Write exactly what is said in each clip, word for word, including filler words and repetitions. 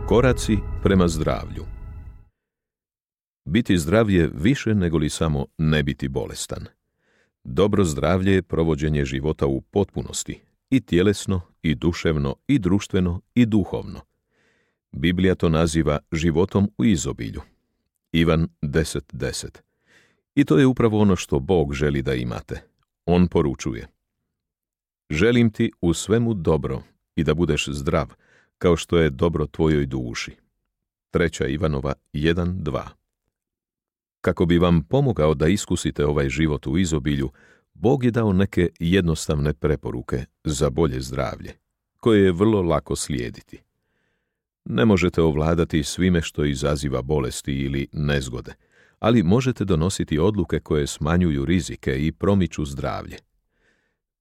Koraci prema zdravlju. Biti zdrav je više nego li samo ne biti bolestan. Dobro zdravlje je provođenje života u potpunosti, i tjelesno, i duševno, i društveno, i duhovno. Biblija to naziva životom u izobilju. Ivan deset deset. I to je upravo ono što Bog želi da imate. On poručuje: želim ti u svemu dobro i da budeš zdrav, kao što je dobro tvojoj duši. Treća Ivanova jedan dva. Kako bi vam pomogao da iskusite ovaj život u izobilju, Bog je dao neke jednostavne preporuke za bolje zdravlje, koje je vrlo lako slijediti. Ne možete ovladati svime što izaziva bolesti ili nezgode, ali možete donositi odluke koje smanjuju rizike i promiču zdravlje.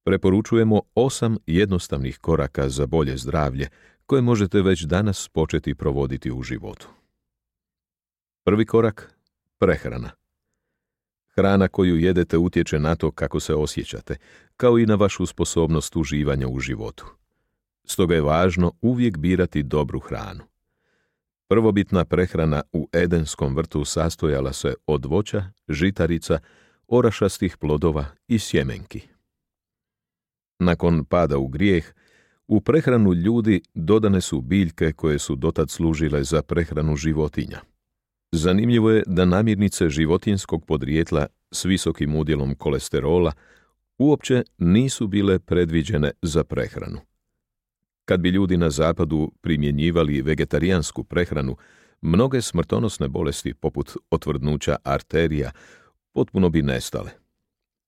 Preporučujemo osam jednostavnih koraka za bolje zdravlje, koje možete već danas početi provoditi u životu. Prvi korak: prehrana. Hrana koju jedete utječe na to kako se osjećate, kao i na vašu sposobnost uživanja u životu. Stoga je važno uvijek birati dobru hranu. Prvobitna prehrana u Edenskom vrtu sastojala se od voća, žitarica, orašastih plodova i sjemenki. Nakon pada u grijeh, u prehranu ljudi dodane su biljke koje su dotad služile za prehranu životinja. Zanimljivo je da namirnice životinjskog podrijetla s visokim udjelom kolesterola uopće nisu bile predviđene za prehranu. Kad bi ljudi na zapadu primjenjivali vegetarijansku prehranu, mnoge smrtonosne bolesti poput otvrdnuća arterija potpuno bi nestale.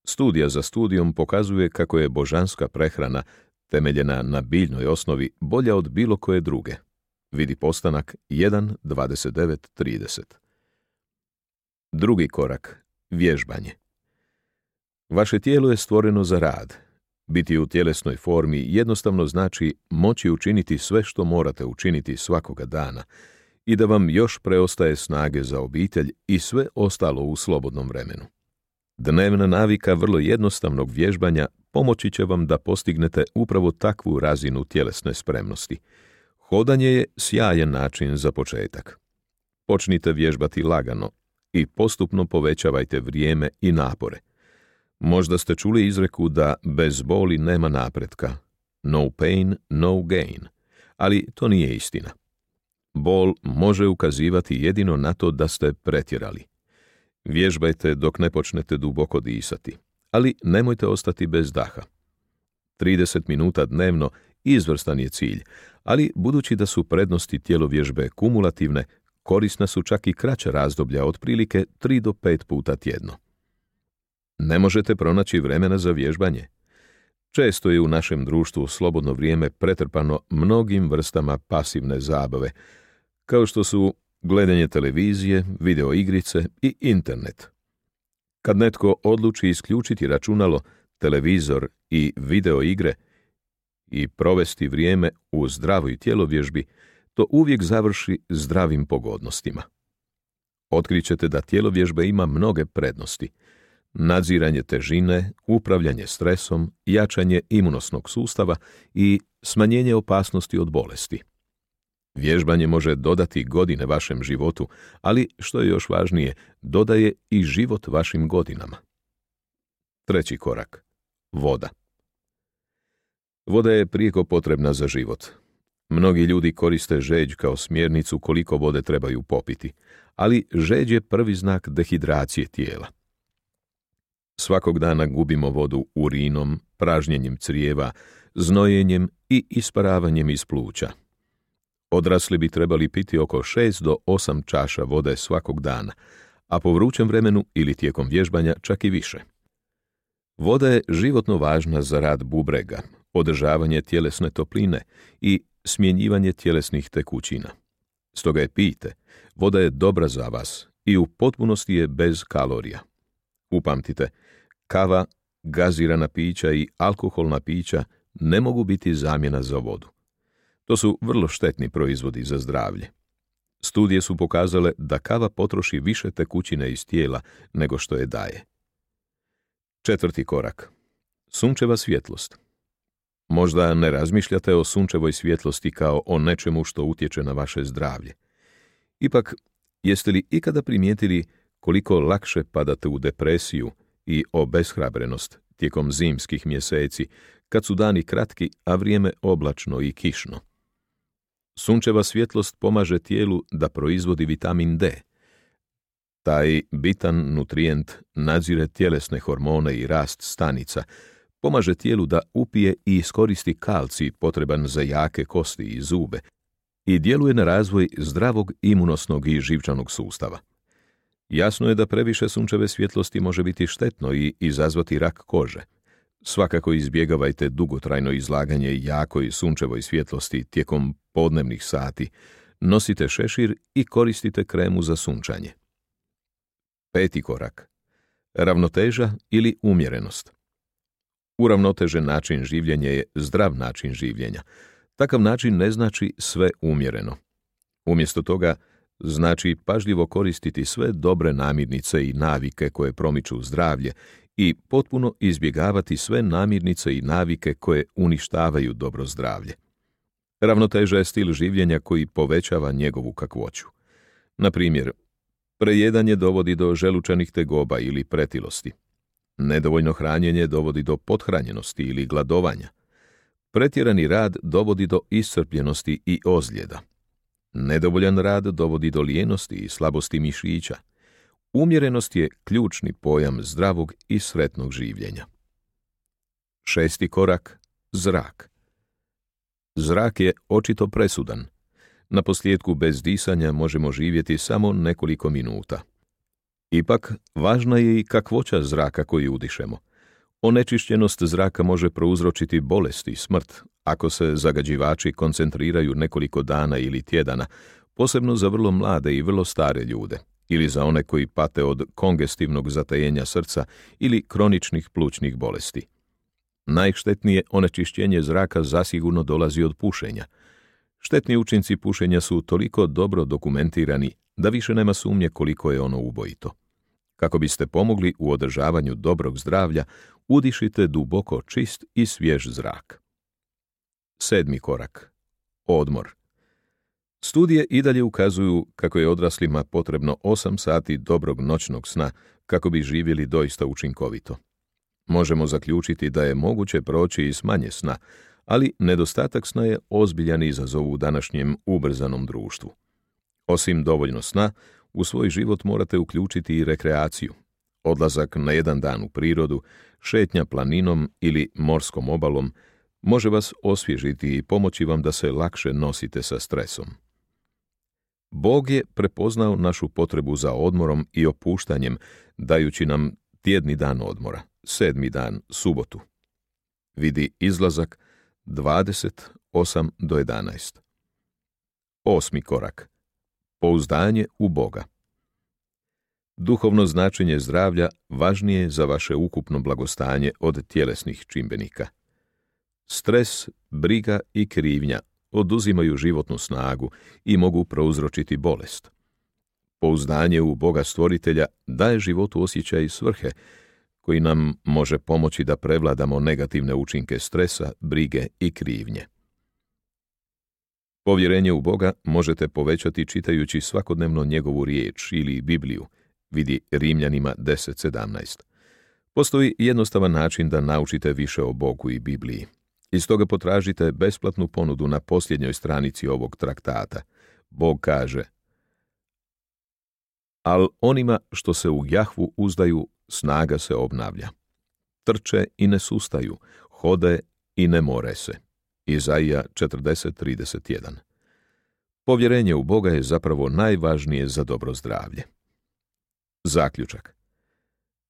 Studija za studijom pokazuje kako je božanska prehrana, temeljena na biljnoj osnovi, bolja od bilo koje druge. Vidi Postanak jedan dvadeset devet trideset. Drugi korak: vježbanje. Vaše tijelo je stvoreno za rad. Biti u tjelesnoj formi jednostavno znači moći učiniti sve što morate učiniti svakoga dana i da vam još preostaje snage za obitelj i sve ostalo u slobodnom vremenu. Dnevna navika vrlo jednostavnog vježbanja pomoći će vam da postignete upravo takvu razinu tjelesne spremnosti. Hodanje je sjajan način za početak. Počnite vježbati lagano i postupno povećavajte vrijeme i napore. Možda ste čuli izreku da bez boli nema napretka. No pain, no gain. Ali to nije istina. Bol može ukazivati jedino na to da ste pretjerali. Vježbajte dok ne počnete duboko disati, ali nemojte ostati bez daha. trideset minuta dnevno izvrstan je cilj, ali budući da su prednosti tjelovježbe kumulativne, korisna su čak i kraća razdoblja, otprilike tri do pet puta tjedno. Ne možete pronaći vremena za vježbanje? Često je u našem društvu slobodno vrijeme pretrpano mnogim vrstama pasivne zabave, kao što su gledanje televizije, video igrice i internet. Kad netko odluči isključiti računalo, televizor i video igre i provesti vrijeme u zdravoj tjelovježbi, to uvijek završi zdravim pogodnostima. Otkrićete da tjelovježba ima mnoge prednosti: nadziranje težine, upravljanje stresom, jačanje imunosnog sustava i smanjenje opasnosti od bolesti. Vježbanje može dodati godine vašem životu, ali, što je još važnije, dodaje i život vašim godinama. Treći korak: voda. Voda je prijeko potrebna za život. Mnogi ljudi koriste žeđ kao smjernicu koliko vode trebaju popiti, ali žeđ je prvi znak dehidracije tijela. Svakog dana gubimo vodu urinom, pražnjenjem crijeva, znojenjem i isparavanjem iz pluća. Odrasli bi trebali piti oko šest do osam čaša vode svakog dana, a po vrućem vremenu ili tijekom vježbanja čak i više. Voda je životno važna za rad bubrega, održavanje tjelesne topline i smjenjivanje tjelesnih tekućina. Stoga je pijte, voda je dobra za vas i u potpunosti je bez kalorija. Upamtite, kava, gazirana pića i alkoholna pića ne mogu biti zamjena za vodu. To su vrlo štetni proizvodi za zdravlje. Studije su pokazale da kava potroši više tekućine iz tijela nego što je daje. Četvrti korak: sunčeva svjetlost. Možda ne razmišljate o sunčevoj svjetlosti kao o nečemu što utječe na vaše zdravlje. Ipak, jeste li ikada primijetili koliko lakše padate u depresiju i obeshrabrenost tijekom zimskih mjeseci, kad su dani kratki, a vrijeme oblačno i kišno? Sunčeva svjetlost pomaže tijelu da proizvodi vitamin D. Taj bitan nutrijent nadzire tjelesne hormone i rast stanica, pomaže tijelu da upije i iskoristi kalcij potreban za jake kosti i zube i djeluje na razvoj zdravog imunosnog i živčanog sustava. Jasno je da previše sunčeve svjetlosti može biti štetno i izazvati rak kože. Svakako izbjegavajte dugotrajno izlaganje jakoj sunčevoj svjetlosti tijekom podnevnih sati, nosite šešir i koristite kremu za sunčanje. Peti korak. Ravnoteža ili umjerenost. Uravnotežen način življenja je zdrav način življenja. Takav način ne znači sve umjereno. Umjesto toga, znači pažljivo koristiti sve dobre namirnice i navike koje promiču zdravlje i potpuno izbjegavati sve namirnice i navike koje uništavaju dobro zdravlje. Ravnoteža je stil življenja koji povećava njegovu kakvoću. Na primjer, prejedanje dovodi do želučanih tegoba ili pretilosti. Nedovoljno hranjenje dovodi do pothranjenosti ili gladovanja. Pretjerani rad dovodi do iscrpljenosti i ozljeda. Nedovoljan rad dovodi do lijenosti i slabosti mišića. Umjerenost je ključni pojam zdravog i sretnog življenja. Šesti korak. Zrak. Zrak je očito presudan. Naposljetku bez disanja možemo živjeti samo nekoliko minuta. Ipak, važna je i kakvoća zraka koju udišemo. Onečišćenost zraka može prouzročiti bolest i smrt ako se zagađivači koncentriraju nekoliko dana ili tjedana, posebno za vrlo mlade i vrlo stare ljude, ili za one koji pate od kongestivnog zatajenja srca ili kroničnih plućnih bolesti. Najštetnije onečišćenje zraka zasigurno dolazi od pušenja. Štetni učinci pušenja su toliko dobro dokumentirani da više nema sumnje koliko je ono ubojito. Kako biste pomogli u održavanju dobrog zdravlja, udišite duboko čist i svjež zrak. Sedmi korak. Odmor. Studije i dalje ukazuju kako je odraslima potrebno osam sati dobrog noćnog sna kako bi živjeli doista učinkovito. Možemo zaključiti da je moguće proći i s manje sna, ali nedostatak sna je ozbiljan izazov u današnjem ubrzanom društvu. Osim dovoljno sna, u svoj život morate uključiti i rekreaciju. Odlazak na jedan dan u prirodu, šetnja planinom ili morskom obalom može vas osvježiti i pomoći vam da se lakše nosite sa stresom. Bog je prepoznao našu potrebu za odmorom i opuštanjem, dajući nam tjedni dan odmora, sedmi dan, subotu. Vidi Izlazak dvadeset osam do jedanaest. Osmi korak. Pouzdanje u Boga. Duhovno značenje zdravlja važnije je za vaše ukupno blagostanje od tjelesnih čimbenika. Stres, briga i krivnja oduzimaju životnu snagu i mogu prouzročiti bolest. Pouzdanje u Boga Stvoritelja daje životu osjećaj svrhe, koji nam može pomoći da prevladamo negativne učinke stresa, brige i krivnje. Povjerenje u Boga možete povećati čitajući svakodnevno njegovu riječ ili Bibliju, vidi Rimljanima deset sedamnaest. Postoji jednostavan način da naučite više o Bogu i Bibliji. Iz toga potražite besplatnu ponudu na posljednjoj stranici ovog traktata. Bog kaže: Al onima što se u Jahvu uzdaju, snaga se obnavlja. Trče i ne sustaju, hode i ne more se. Izaija četrdeset trideset jedan. Povjerenje u Boga je zapravo najvažnije za dobro zdravlje. Zaključak.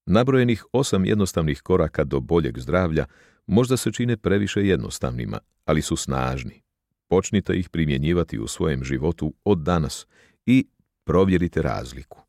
Nabrojenih osam jednostavnih koraka do boljeg zdravlja možda se čine previše jednostavnima, ali su snažni. Počnite ih primjenjivati u svojem životu od danas i provjerite razliku.